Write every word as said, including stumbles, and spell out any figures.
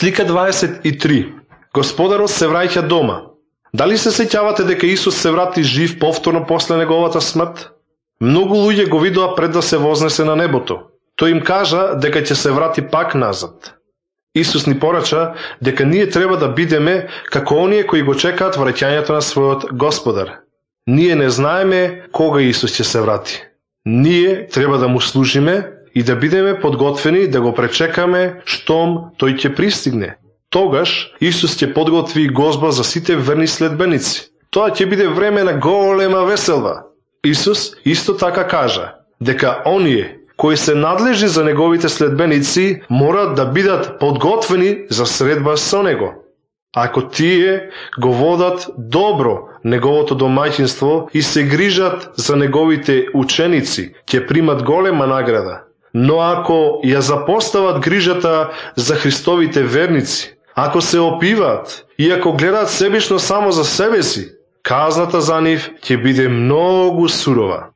Слика дваесет и три. Господарот се враќа дома. Дали се сеќавате дека Исус се врати жив повторно после неговата смрт? Многу луѓе го видоа пред да се вознесе на небото. Тој им кажа дека ќе се врати пак назад. Исус ни порача дека ние треба да бидеме како оние кои го чекаат враќањето на својот Господар. Ние не знаеме кога Исус ќе се врати. Ние треба да му служиме и да бидеме подготвени да го пречекаме штом тој ќе пристигне. Тогаш Исус ќе подготви гозба за сите верни следбеници. Тоа ќе биде време на голема веселба. Исус исто така кажа дека оние кои се надлежни за неговите следбеници морат да бидат подготвени за средба со него. Ако тие го водат добро неговото домаќинство и се грижат за неговите ученици, ќе примат голема награда. Но ако ја запостават грижата за Христовите верници, ако се опиваат и ако гледаат себично само за себе си, казната за нив ќе биде многу сурова.